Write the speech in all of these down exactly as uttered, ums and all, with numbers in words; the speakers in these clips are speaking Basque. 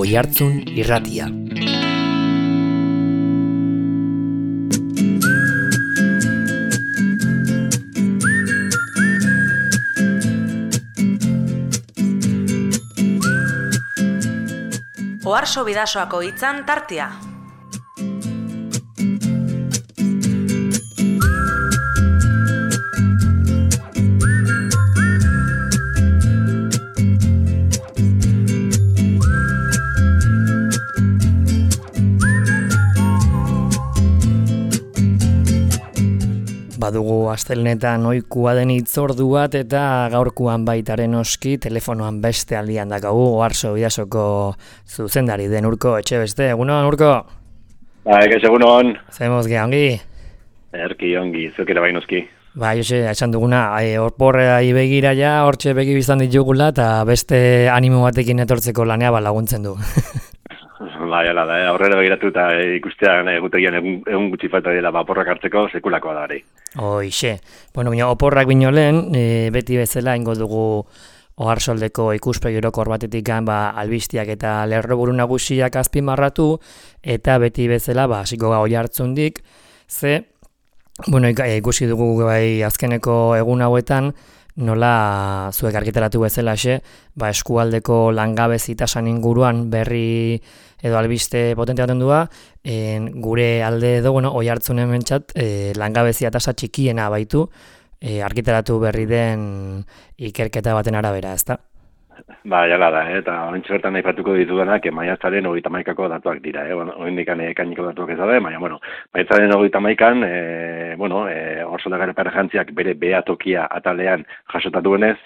Oihartzun Irratia. Oharso Bidasoako hitzan tartea. Badugu astelenetan ohikoa den hitzordu bat eta gaurkoan baitaren oski telefonoan beste aldian dakagu Oharso Bidasoko zuzendari den Urko Etxebeste. Egunon, Urko? Ba, egez egunon. Zemoz ge, ongi? Erki ongi, zukera bainuzki. Ba, Jose, esan duguna, horporra begira ja, hortxe begi biztan ditugula eta beste animo batekin etortzeko lanea ba laguntzen du. Bai, ala da, aurrera begiratu eta ikustean egutegian egun, egun gutxi falta dela ba, oporrak hartzeko sekulakoa da hori. Hoixe. Bueno, bino, oporrak bino lehen, e, beti bezala ingo dugu Oharsoldeko ikuspegi orokor batetik ba, albistiak eta lerroburu nagusiak azpimarratu, eta beti bezala ba, hasiko ga Oihartzundik, ze, bueno, ikusi dugu bai azkeneko egun hauetan, nola zuek argitaratu bezalaxe, ba, eskualdeko langabezi tasan inguruan berri edo albiste potente baten dua, en, gure alde edo, bueno, Oihartzunen mentzat, e, langabezia tasa txikiena baitu, e, argitaratu berri den ikerketa baten arabera, ezta? Ba, jala da, eh? Eta horrentxe bertan aipatuko ditudanak, maiatzaren hogeita hamaikako datuak dira, eh? Bueno, oindikan ekainiko datuak ez daude, baina, bueno, maiatzaren hogeita hamaikan, eh, bueno, eh, Oharsoldako Perjantziak bere behatokia atalean jasotatuenez,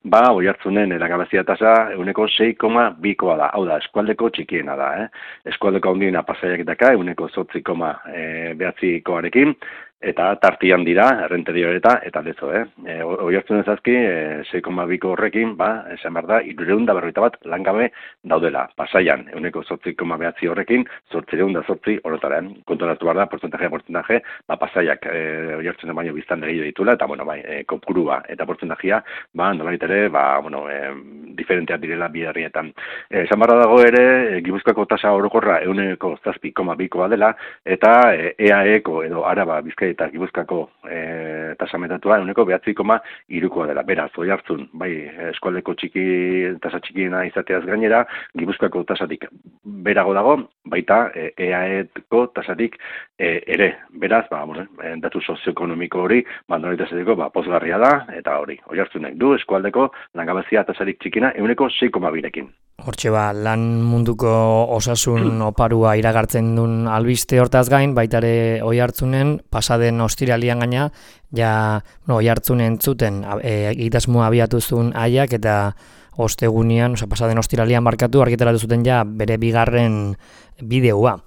ba, Oihartzunen langabezia tasa ehuneko sei koma bikoa da, hau da, eskualdeko txikiena da, eh? Eskualdeko handiena Pasaiak daka, ehuneko zortzi koma bederatzikoarekin, eta tartian dira, Errenterio eta eta lezo, eh? E, Oihartzunen zazki, e, sei koma biko horrekin, ba, esan behar da, hirurehun eta berrogeita bat langabe daudela. Pasaian, ehuneko zortzi koma bederatzi horrekin, zortziehun eta zortzi horretaren. Konturatu behar da, portzentaje, portzentaje, ba, Pasaiak e, Oihartzunen baino biztan gehiago ditula, eta, bueno, bai, e, kopurua eta portzentajea, ba, nolait ere, ba, bueno, e, diferenteak direla bi herrietan. E, esan behar dago ere, e, Gipuzkoako tasa orokorra ehuneko zazpi koma bikoa dela, eta e, E A Eko edo Araba Bizkaia eta Gipuzkoako e, tasametatua ehuneko bederatzi koma hirukoa dela. Beraz, Oihartzun, bai, eskualdeko txiki, tasa txikiena izateaz gainera, Gipuzkoako tasatik berago dago, baita E A Eko tasatik e, ere. Beraz, ba, bueno, datu sozioekonomiko hori, bandonari tasatiko, ba, pozgarria da, eta hori, Oihartzunek du eskualdeko langabezia tasarik txikina ehuneko sei koma birekin. Hortxe ba, lan munduko osasun oparua iragartzen duen albiste hortaz gain, baitare Oihartzunen, pasaden ostiralian gaina, ja, no, Oihartzunen zuten e, egitasmoa abiatu zuen aiak, eta ostegunian, oza, pasaden ostiralian markatu, argitaratu zuten ja bere bigarren bideoa.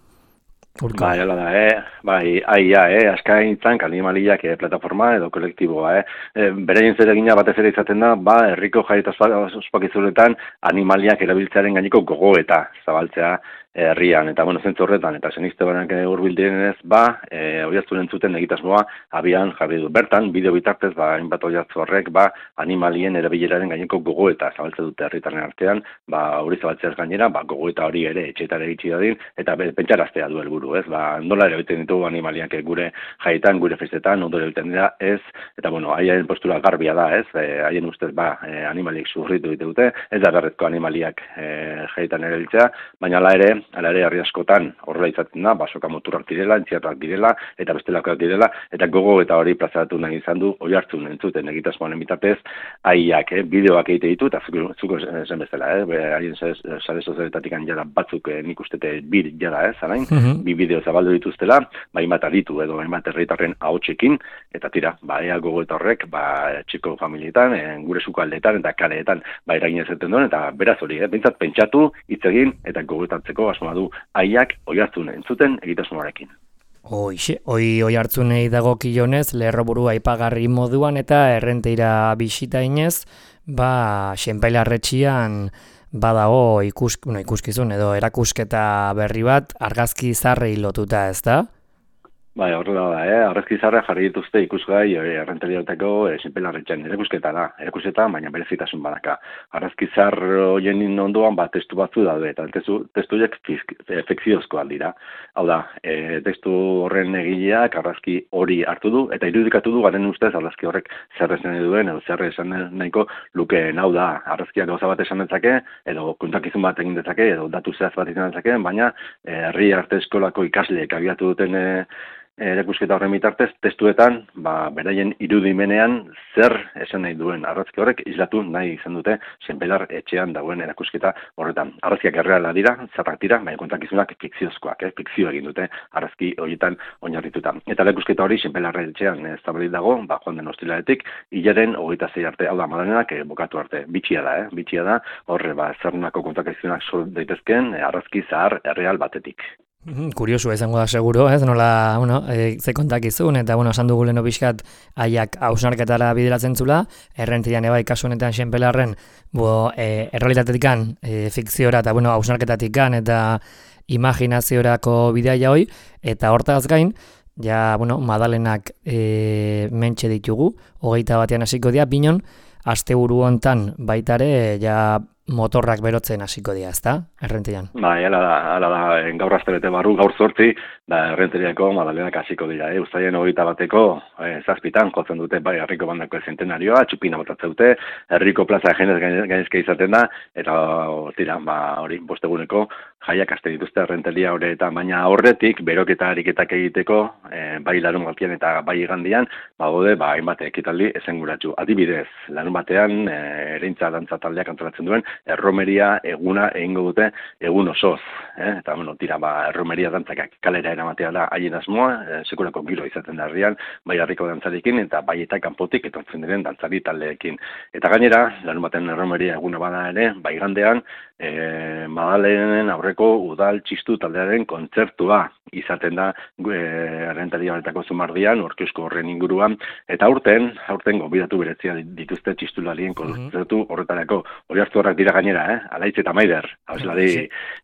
Urko. Bai, hala da, eh? Bai, aia, eh? Askaintzan, animaliak eh, plataforma edo kolektiboa, eh? E, Bereien zeregina batez ere izaten da, ba, herriko jai eta ospakizunetan animaliak erabiltzearen gaineko gogoeta zabaltzea herrian, eta bueno, zentzu horretan, eta zenizte banak hurbil direnez, ba, e, Oihartzunen zuten egitasmoa abian jarri du. Bertan, bideo bitartez, ba, hainbat Oihartzu horrek, ba, animalien erabileraren gaineko gogoeta zabaltze dute herritarren artean, ba, hori zabaltzeaz gainera, ba, gogoeta hori ere etxeetara iritsi dadin, eta pentsaraztea du helburu, ez? Ba, nola erabiltzen ditugu animaliak gure jaietan, gure festetan, ondo erabiltzen dira, ez? Eta bueno, haien postura garbia da, ez? E, haien ustez, ba, e, animaliek sufritu dite dute, ez da berrezko animaliak e, jaietan erabiltzea, baina hala ere, hala ere, herri askotan horrela izaten da, basoka moturrak direla, entziarrak direla, eta bestelakoak direla, eta gogo eta hori plazaratu nahi izan du Oihartzun entzuten egitasmoaren bitartez, haiak, eh, bideoak egite ditu, eta zuko zen bezala, eh, haien sare sozialetatik jada batzuk eh, nik ustete bir jada, eh, zarain, mm-hmm. bi bideo zabaldu dituztela, ba, hainbat aditu edo hainbat herritarren ahotsekin, eta tira, ba, ea gogo eta horrek, ba, txiko familietan, eh, gure sukaldeetan, eta kaleetan, ba, eragin ezaten duen, eta beraz hori, eh, bintzat pentsatu, hitz egin, eta gogoetatzeko asmoa du aiak Oihartzun entzuten egitasmoarekin. Hoixe, hoi Oihartzunei dagokionez, lerroburu aipagarri moduan eta errenteira bisita inez, ba, Xenpailarretxian badago ikusk, no, ikuskizun edo erakusketa berri bat argazki zarrei lotuta, ez da? Bai, horrela da, eh? Arrezki zarra jarri dituzte ikusgai errenterioteko e, sinpelarretxean erakusketa da, erakusketa, baina berezitasun badaka. Arrezki zar horien ondoan, ba, testu batzu daude, eta testu, testuek fikziozkoak dira. Hau da, e, testu horren egileak arrazki hori hartu du, eta irudikatu du garen ustez arrazki horrek zer esan duen, edo zer esan nahiko lukeen. Hau da, arrazkiak gauza bat esan dezake, edo kontakizun bat egin dezake, edo datu zehaz bat izan dezake, baina herri arte eskolako ikasleek abiatu duten e, erakusketa horren bitartez, testuetan, ba, beraien irudimenean zer esan nahi duen arrazki horrek islatu nahi izan dute Senpelar etxean dagoen erakusketa horretan. Arrazkiak erreala dira, zarrak dira, baina kontakizunak fikziozkoak, eh? Fikzio egin dute arrazki horietan oinarrituta. Eta erakusketa hori Senpelar etxean ez zabalik dago, ba, joan den ostiraletik, hilaren hogeita zei arte, hau da, madalenak eh, bokatu arte. Bitxia da, eh? Bitxia da, horre, ba, zernako kontakizunak sol daitezken eh, arrazki zahar erreal batetik. Kuriosu izango da seguro, ez? Nola, bueno, e, ze kontakizun, eta, bueno, esan dugu leno pixkat haiak hausnarketara bideratzen zula, errentian ebai kasu honetan Senpelarren, bo, e, errealitatetikan, e, fikziora, eta, bueno, hausnarketatikan, eta imaginaziorako bidea hoi, eta hortaz gain, ja, bueno, madalenak e, mentxe ditugu, hogeita batean hasiko dira, binon, asteburu hontan baitare, ja, motorrak berotzen hasiko dira, ezta? Errentian. Ba, hala da, hala da, gaur astebete barru, gaur zortzi, da errenteriako madalenak hasiko dira, eh? Uztaien hogeita bateko, eh, zazpitan, jotzen dute, bai, herriko bandako zentenarioa, txupina botatzen dute, herriko plaza jenez gainezke izaten da, eta, tira, ba, hori, bosteguneko, jaiak aste dituzte errenteria horretan, baina horretik, beroketa ariketak egiteko, eh, bai larun batean eta bai igandian, ba, gode, ba, hainbat ekitaldi esenguratsu. Adibidez, larun batean, eh, ereintza dantza taldeak antolatzen duen, erromeria eguna egingo dute egun osoz, eh? Eta, bueno, tira, ba, erromeria dantzak kalera eramatea da haien asmoa, eh, sekulako giro izaten da herrian, bai harriko dantzarekin, eta bai eta kanpotik etortzen diren dantzari taldeekin. Eta gainera, larun baten erromeria eguna bada ere, bai gandean, eh, Madalenen aurreko udal txistu taldearen kontzertua izaten da errentaria honetako zumardian, orkiosko horren inguruan, eta aurten, aurten gobidatu berezia dituzte txistularien kontzertu horretarako. Hori hartu horrak dira gainera, eh? Alaitz eta Maider, hauslari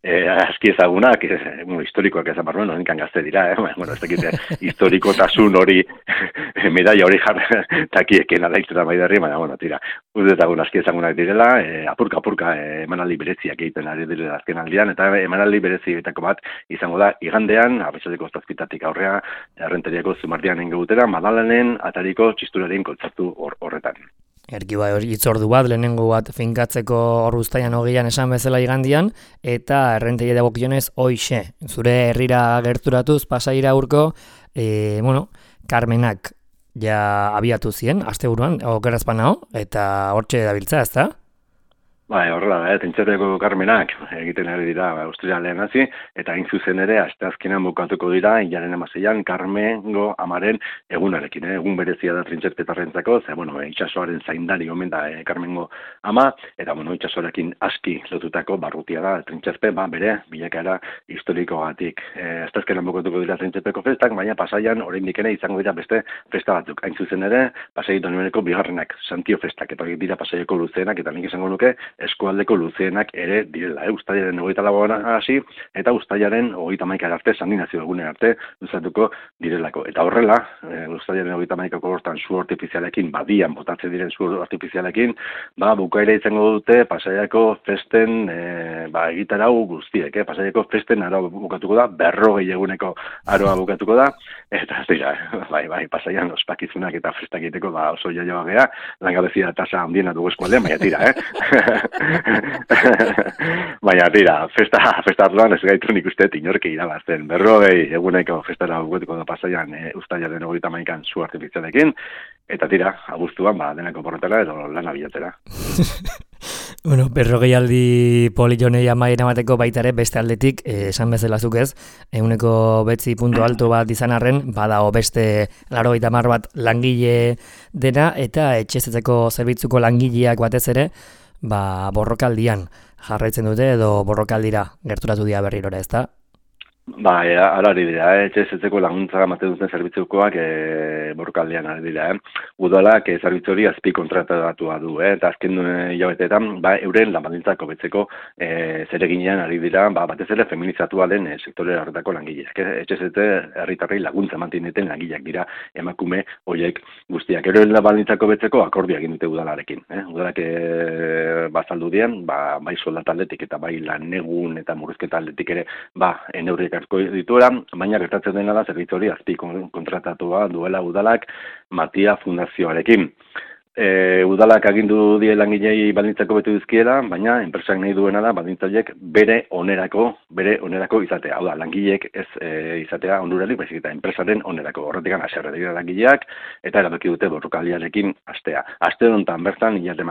eh, aski ezagunak, eh, bueno, historikoak ezan barruan, horenkan gazte dira, eh? Bueno, ez dakite, historikotasun hori, medaia hori jarri takieken Alaitz eta Maiderri, baina, bueno, tira, udezagun aski ezagunak direla, eh, apurka, apurka, eh, emanaldi bereziak egiten ari direla azken aldian, eta emanaldi berezietako bat izango da, igandean, arratsaleko zazpitatik aurrea, errenteriako zumardian ingo dutera, Madalenen atariko txisturaren kontzertu hor, horretan. Erki bai, itzordu bat, lehenengo bat finkatzeko hor Uztaian hogeian esan bezala igandian, eta errentegia dagokionez hoixe. Zure herrira gerturatuz, pasaira urko, e, bueno, Carmenak ja abiatu zien, asteburuan, okerazpan hau, eta hortxe dabiltza, ezta? Bai, horrela da, Tentxerreko Carmenak egiten ari dira Austrialean hasi, eta hain zuzen ere, asteazkenan bukatuko dira, hilaren hamaseian, Carmengo amaren egunarekin, eh? Egun berezia da trintxerpetarrentzako, ze, bueno, itxasoaren zaindari omen da eh, Carmengo ama, eta, bueno, itxasoarekin aski lotutako barrutia da, trintxerpe, ba, bere, bilakaera historikogatik. Eh, asteazkenan bukatuko dira trintxerpeko festak, baina pasaian, oraindik ere izango dira beste festa batzuk. Hain zuzen ere, pasai Donibaneko bigarrenak, Santio festak, eta dira pasaieko luzeenak, eta nik izango nuke, eskualdeko luzeenak ere direla, eh? Uztailaren hogeita lauan hasi, eta uztailaren hogeita hamaika arte, Sandinazio egunen arte, luzatuko direlako. Eta horrela, e, uztailaren hogeita hamaikako hortan zu artifizialekin, badian botatzen diren zu artifizialekin, ba, bukaera izango dute Pasaiako festen, e, ba, egitarau guztiek, eh? Pasaiako festen aroa bukatuko da, berrogei eguneko aroa bukatuko da, eta ez dira, bai, bai, Pasaian ospakizunak eta festak egiteko, ba, oso jaioa gea, langabezia tasa handiena dugu eskualdean, baina tira, eh? Baina, tira, festa, festa arloan ez gaitu nik uste inorki irabazten. Berrogei eguneko festara buketuko da Pasaian e, Uztailaren hogeita hamaikan zu artifizialekin, eta tira, abuztuan, ba, denako porretara edo lana bilatera. Bueno, berrogei aldi polijonei amaien amateko baitare beste aldetik, eh, esan bezala zuk ez, eguneko betzi puntu alto bat izan arren, badao beste laurogeita hamar bat langile dena, eta etxezetzeko zerbitzuko langileak batez ere, ba, borrokaldian jarraitzen dute edo borrokaldira gerturatu dira berrirora, ezta? Ba, e, ala ari dira, eh? etxezetzeko laguntza ematen duten zerbitzukoak e, borrokaldean ari dira. Eh? Udalak e, zerbitzu hori azpi kontratatua du, eh? eta azken hilabeteetan ba, euren lanbaldintzak hobetzeko e, zereginean ari dira, ba, batez ere feminizatua den e, sektore horretako langileak. Eh? Etxezetze herritarrei laguntza ematen duten langileak dira emakume horiek guztiak. Euren lanbaldintzak hobetzeko akordioa egin dute udalarekin. Eh? Udalak e, bazaldu dien, ba, bai soldataldetik eta bai lanegun eta murrizketa aldetik ere ba, neurriek asko dituela, baina gertatzen dena da zerbitzu hori azpi kontratatua duela udalak Matia Fundazioarekin. E, udalak agindu die langilei baldintzako betu dizkiela, baina enpresak nahi duena da baldintzaileek bere onerako, bere onerako izatea. Hau da, langileek ez e, izatea onurarik, baizik eta enpresaren onerako. Horretik haserre dira langileak eta erabaki dute borrokaldiarekin astea. Aste honetan bertan hilarte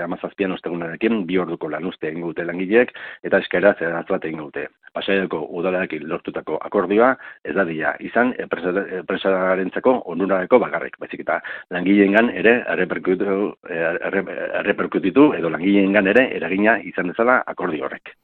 hamazazpian ostegunarekin bi orduko lanuzte egingo dute langileek eta eskaera zehatz bat egingo dute. Pasaiako udalarekin lortutako akordioa ez da dira izan enpresarentzako onurarako bakarrik, baizik eta langileengan ere erreperkutitu, erreperkutitu edo langileengan ere eragina izan dezala akordio horrek.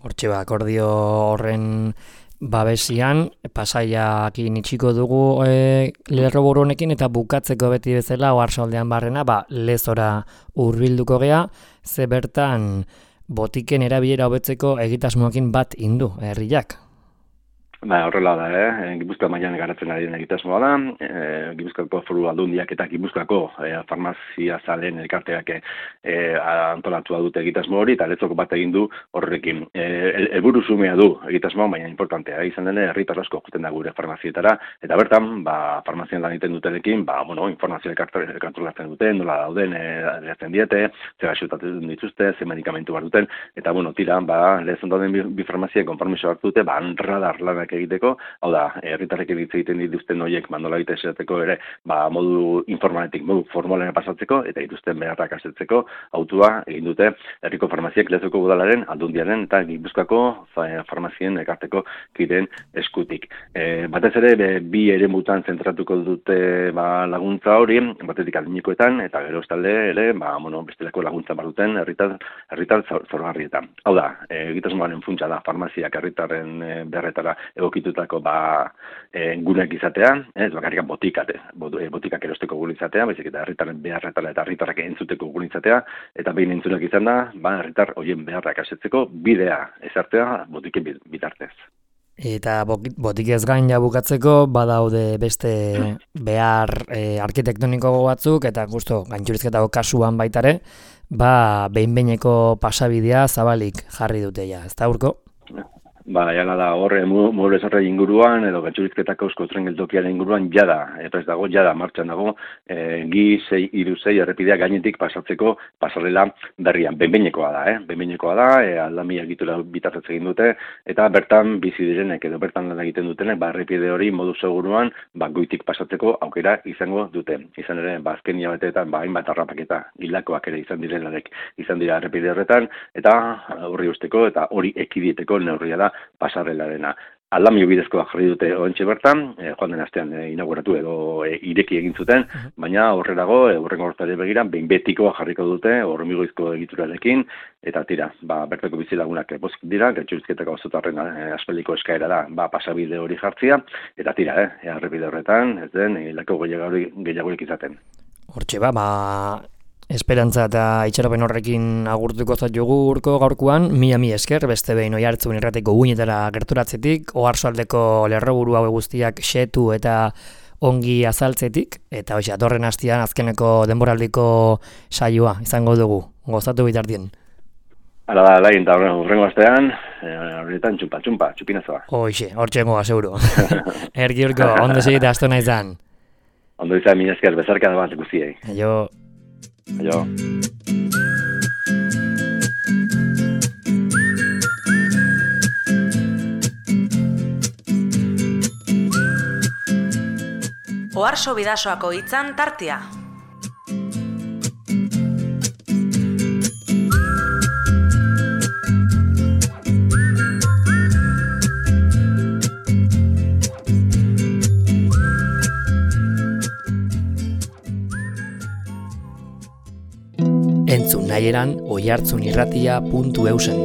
Hortxe ba, akordio horren babesian, Pasaiakin itxiko dugu e, lerroburu honekin eta bukatzeko beti bezala oarsoaldean barrena, ba, lezora hurbilduko gea, ze bertan botiken erabilera hobetzeko egitasmoekin bat indu herriak. Ba, horrela da, eh? Gipuzkoa mailan garatzen ari den egitasmoa da, e, Gipuzkoako Foru Aldundiak eta Gipuzkoako e, farmazia zalen elkarteak e, antolatua dute egitasmo hori, eta letzoko bat egin du horrekin. Helburu zumea du egitasmoa, baina importantea, izan dene herritar asko joten da gure farmazietara, eta bertan, ba, farmazian lan egiten dutenekin, ba, bueno, informazio elkartolatzen duten, nola dauden, eratzen diete, ze gaixotatzen dituzte, ze medikamentu bar duten, eta, bueno, tira, ba, lehzen dauden bi, bi farmazia konpromiso hartu dute, ba, radar lanak egiteko, hau da, herritarrek hitz egiten dituzten horiek mandola egite esateko ere, ba, modu informaletik, modu formalena pasatzeko, eta dituzten beharrak asetzeko, autua egin dute herriko farmaziak Lezoko udalaren, Aldundiaren eta Gipuzkoako farmazien ekarteko kideen eskutik. E, batez ere, be, bi eremutan zentratuko dute ba, laguntza hori, batetik adinikoetan, eta gero estalde ere, ba, bueno, bestelako laguntza barduten herritar, herritar zorgarrietan. Hau da, egitasmoaren funtsa da, farmaziak herritarren e, beharretara egokitutako ba, e, guneak izatea, ez bakarrik botikate, botikak erosteko gune izatea, baizik eta herritarren beharretara eta herritarrak entzuteko gune izatea, eta behin entzunak izan da, ba, herritar horien beharrak asetzeko bidea ezartzea botiken bitartez. Eta botikez gain ja bukatzeko, badaude beste behar e, arkitektoniko batzuk, eta justo gaintxurizketako kasuan baitare, ba, behin-behineko pasabidea zabalik jarri dute ja, ez da urko? Ba, jala da, horre, muebles horre inguruan, edo gatxurizketako eusko tren geltokiaren inguruan, jada, epres dago, jada, martxan dago, e, gi, sei, iru, sei, errepidea gainetik pasatzeko pasarela berrian. Benbeinekoa da, eh? Benbeinekoa da, e, aldamia egitura bitartez egin dute, eta bertan bizi direnek, edo bertan lan egiten dutenek, ba, errepide hori modu seguruan, ba, goitik pasatzeko aukera izango dute. Izan ere, ba, azken hilabeteetan, ba, hainbat harrapaketa hilakoak ere izan direnak izan dira errepide horretan, eta horri usteko, eta hori ekidieteko neurria da pasarrelarena. Aldamio bidezkoa jarri dute oraintxe bertan, e, joan den astean e, inauguratu edo e, ireki egin zuten, baina horrelago, e, horrengo hortari begira, behin betikoa jarriko dute, hormigoizko egiturarekin, eta tira, ba, bertako bizilagunak pozik dira, gatxurizketako auzotarren e, aspeliko eskaera da, ba, pasabide hori jartzia, eta tira, eh, errepide horretan, ez den, hilako gehiagorik izaten. Hortxe ba, ba, esperantza eta itxaropen horrekin agurtuko zaitu urko gaurkoan, mila mi esker, beste behin Oiartzun irrateko guinetara gerturatzetik, oarsoaldeko lerroburu hau guztiak xetu eta ongi azaltzetik, eta hoxe, atorren hastian azkeneko denboraldiko saioa izango dugu, gozatu bitartien. Hala da, lain, eta horrengo astean, horretan txumpa, txumpa, txupinazoa. Hoxe, hortxengo aseguru. Erki urko, ondo segite astona izan. Ondo izan, mila esker, bezarka da bat guztiei. Aio. Aio. Oarso Bidasoako hitzan tartea. Entzun nahieran oiartzunirratia puntu eusen.